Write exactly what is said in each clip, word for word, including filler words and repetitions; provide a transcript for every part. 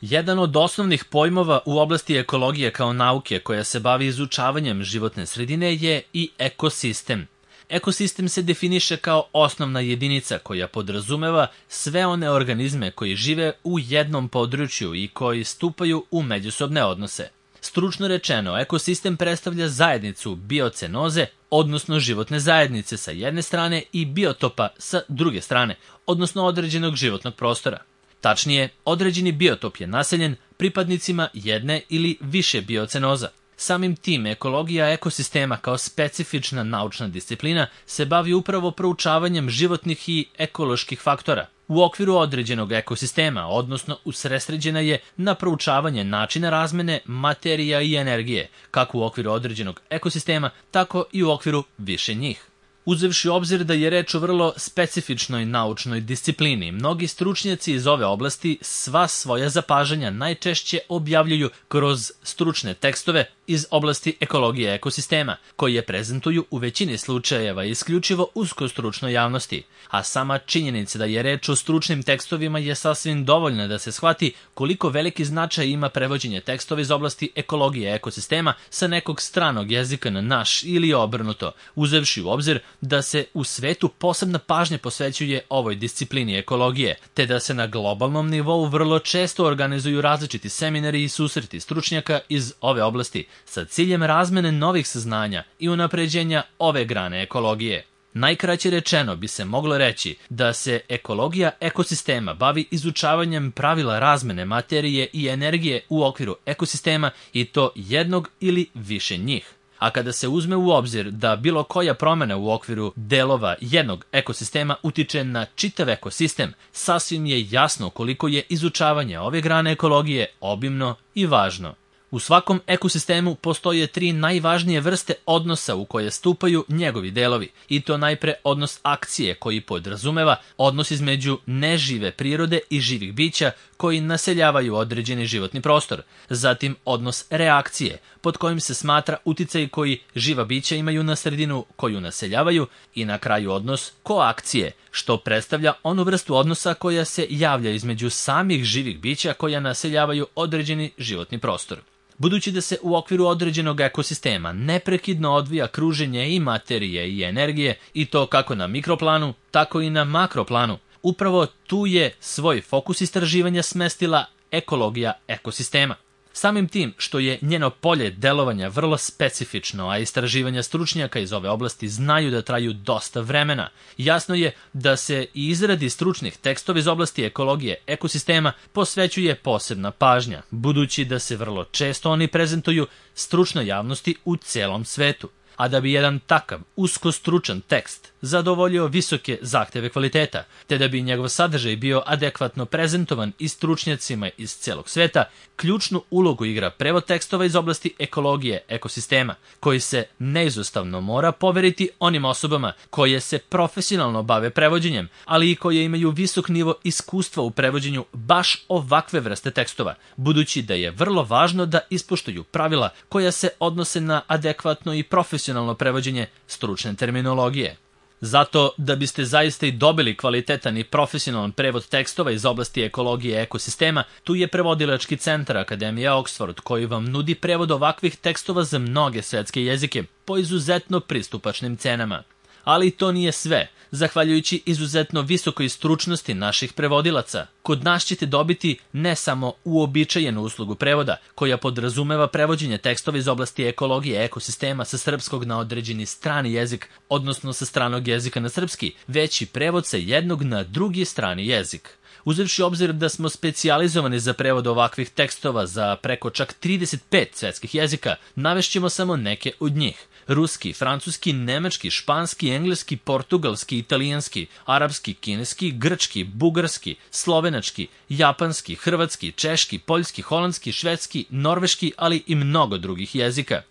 Jedan od osnovnih pojmova u oblasti ekologije kao nauke koja se bavi izučavanjem životne sredine je i ekosistem. Ekosistem se definiše kao osnovna jedinica koja podrazumeva sve one organizme koji žive u jednom području i koji stupaju u međusobne odnose. Stručno rečeno, ekosistem predstavlja zajednicu biocenoze, odnosno životne zajednice sa jedne strane i biotopa sa druge strane, odnosno određenog životnog prostora. Tačnije, određeni biotop je naseljen pripadnicima jedne ili više biocenoza. Samim tim, ekologija ekosistema kao specifična naučna disciplina se bavi upravo proučavanjem životnih i ekoloških faktora u okviru određenog ekosistema, odnosno usredsređena je na proučavanje načina razmene materija i energije, kako u okviru određenog ekosistema, tako i u okviru više njih. Uzevši u obzir da je reč o vrlo specifičnoj naučnoj disciplini, mnogi stručnjaci iz ove oblasti sva svoja zapažanja najčešće objavljuju kroz stručne tekstove iz oblasti ekologije ekosistema, koje prezentuju u većini slučajeva isključivo uskostručnoj javnosti, a sama činjenica da je reč o stručnim tekstovima je sasvim dovoljna da se shvati koliko veliki značaj ima prevođenje tekstova iz oblasti ekologije ekosistema sa nekog stranog jezika na naš ili obrnuto, uzevši u obzir da se u svetu posebna pažnja posvećuje ovoj disciplini ekologije, te da se na globalnom nivou vrlo često organizuju različiti seminari i susreti stručnjaka iz ove oblasti sa ciljem razmene novih saznanja i unapređenja ove grane ekologije. Najkraće rečeno bi se moglo reći da se ekologija ekosistema bavi izučavanjem pravila razmene materije i energije u okviru ekosistema i to jednog ili više njih. A kada se uzme u obzir da bilo koja promjena u okviru delova jednog ekosistema utiče na čitav ekosistem, sasvim je jasno koliko je izučavanje ove grane ekologije obimno i važno. U svakom ekosistemu postoje tri najvažnije vrste odnosa u koje stupaju njegovi delovi, i to najpre odnos akcije koji podrazumeva odnos između nežive prirode i živih bića koji naseljavaju određeni životni prostor, zatim odnos reakcije pod kojim se smatra uticaj koji živa bića imaju na sredinu koju naseljavaju i na kraju odnos koakcije, što predstavlja onu vrstu odnosa koja se javlja između samih živih bića koja naseljavaju određeni životni prostor. Budući da se u okviru određenog ekosistema neprekidno odvija kruženje i materije i energije, i to kako na mikroplanu, tako i na makroplanu, upravo tu je svoj fokus istraživanja smestila ekologija ekosistema. Samim tim što je njeno polje delovanja vrlo specifično, a istraživanja stručnjaka iz ove oblasti znaju da traju dosta vremena, jasno je da se i izradi stručnih tekstova iz oblasti ekologije ekosistema posvećuje posebna pažnja, budući da se vrlo često oni prezentuju stručnoj javnosti u celom svetu. A da bi jedan takav uskostručan tekst zadovoljio visoke zahteve kvaliteta, te da bi njegov sadržaj bio adekvatno prezentovan i stručnjacima iz celog sveta, ključnu ulogu igra prevod tekstova iz oblasti ekologije ekosistema, koji se neizostavno mora poveriti onim osobama koje se profesionalno bave prevođenjem, ali i koje imaju visok nivo iskustva u prevođenju baš ovakve vrste tekstova, budući da je vrlo važno da ispoštuju pravila koja se odnose na adekvatno i profesionalno prevođenje stručne terminologije. Zato, da biste zaista i dobili kvalitetan i profesionalan prevod tekstova iz oblasti ekologije ekosistema, tu je prevodilački centar Akademije Oxford, koji vam nudi prevod ovakvih tekstova za mnoge svetske jezike po izuzetno pristupačnim cenama. Ali to nije sve. Zahvaljujući izuzetno visokoj stručnosti naših prevodilaca, kod nas ćete dobiti ne samo uobičajenu uslugu prevoda, koja podrazumeva prevođenje tekstova iz oblasti ekologije ekosistema sa srpskog na određeni strani jezik, odnosno sa stranog jezika na srpski, već i prevod sa jednog na drugi strani jezik. Uzevši obzir da smo specijalizovani za prevod ovakvih tekstova za preko čak trideset pet svetskih jezika, navešćemo samo neke od njih. Ruski, francuski, nemački, španski, engleski, portugalski, italijanski, arapski, kineski, grčki, bugarski, slovenački, japanski, hrvatski, češki, poljski, holandski, švedski, norveški, ali i mnogo drugih jezika.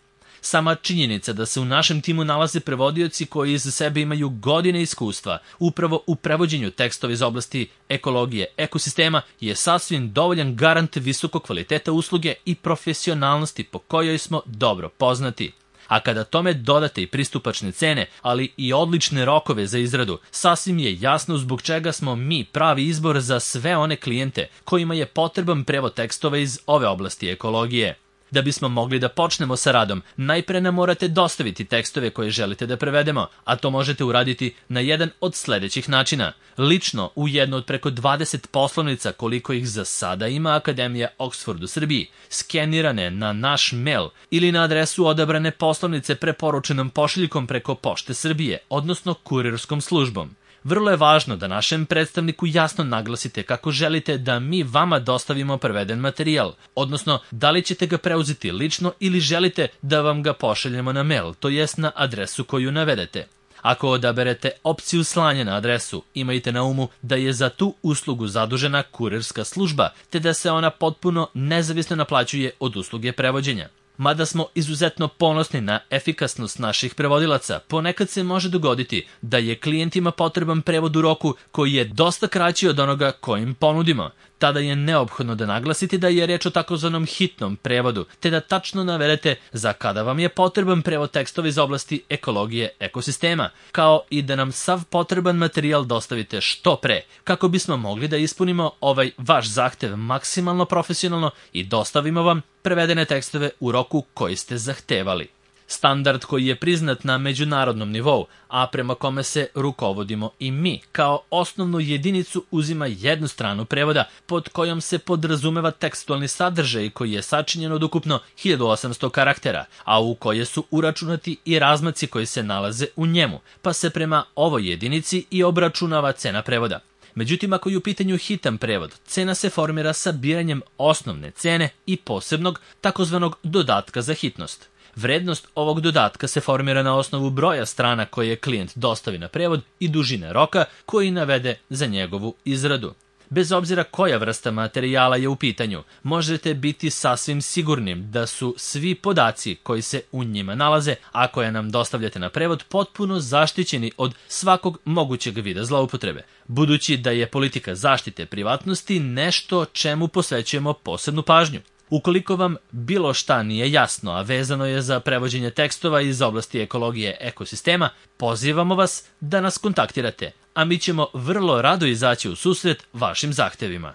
Sama činjenica da se u našem timu nalaze prevodioci koji iza sebe imaju godine iskustva upravo u prevođenju tekstova iz oblasti ekologije ekosistema je sasvim dovoljan garant visokog kvaliteta usluge i profesionalnosti po kojoj smo dobro poznati. A kada tome dodate i pristupačne cene, ali i odlične rokove za izradu, sasvim je jasno zbog čega smo mi pravi izbor za sve one klijente kojima je potreban prevod tekstova iz ove oblasti ekologije. Da bismo mogli da počnemo sa radom, najpre nam morate dostaviti tekstove koje želite da prevedemo, a to možete uraditi na jedan od sledećih načina. Lično u jednu od preko dvadeset poslovnica koliko ih za sada ima Akademija Oxford u Srbiji, skenirane na naš mail ili na adresu odabrane poslovnice preporučenom pošiljkom preko Pošte Srbije, odnosno kurirskom službom. Vrlo je važno da našem predstavniku jasno naglasite kako želite da mi vama dostavimo preveden materijal, odnosno da li ćete ga preuzeti lično ili želite da vam ga pošaljemo na mail, to jest na adresu koju navedete. Ako odaberete opciju slanja na adresu, imajte na umu da je za tu uslugu zadužena kurirska služba, te da se ona potpuno nezavisno naplaćuje od usluge prevođenja. Mada smo izuzetno ponosni na efikasnost naših prevodilaca, ponekad se može dogoditi da je klijentima potreban prevod u roku koji je dosta kraći od onoga kojim ponudimo. Tada je neophodno da naglasite da je reč o takozvanom hitnom prevodu, te da tačno navedete za kada vam je potreban prevod tekstova iz oblasti ekologije ekosistema, kao i da nam sav potreban materijal dostavite što pre, kako bismo mogli da ispunimo ovaj vaš zahtev maksimalno profesionalno i dostavimo vam prevedene tekstove u roku koji ste zahtevali. Standard koji je priznat na međunarodnom nivou, a prema kome se rukovodimo i mi, kao osnovnu jedinicu uzima jednu stranu prevoda pod kojom se podrazumeva tekstualni sadržaj koji je sačinjen od ukupno hiljadu osamsto karaktera, a u koje su uračunati i razmaci koji se nalaze u njemu, pa se prema ovoj jedinici i obračunava cena prevoda. Međutim, ako je u pitanju hitan prevod, cena se formira sabiranjem osnovne cene i posebnog takozvanog dodatka za hitnost. Vrednost ovog dodatka se formira na osnovu broja strana koje klijent dostavi na prevod i dužine roka koji navede za njegovu izradu. Bez obzira koja vrsta materijala je u pitanju, možete biti sasvim sigurnim da su svi podaci koji se u njima nalaze, a koje nam dostavljate na prevod, potpuno zaštićeni od svakog mogućeg vida zloupotrebe, budući da je politika zaštite privatnosti nešto čemu posvećujemo posebnu pažnju. Ukoliko vam bilo šta nije jasno, a vezano je za prevođenje tekstova iz oblasti ekologije ekosistema, pozivamo vas da nas kontaktirate, a mi ćemo vrlo rado izaći u susret vašim zahtevima.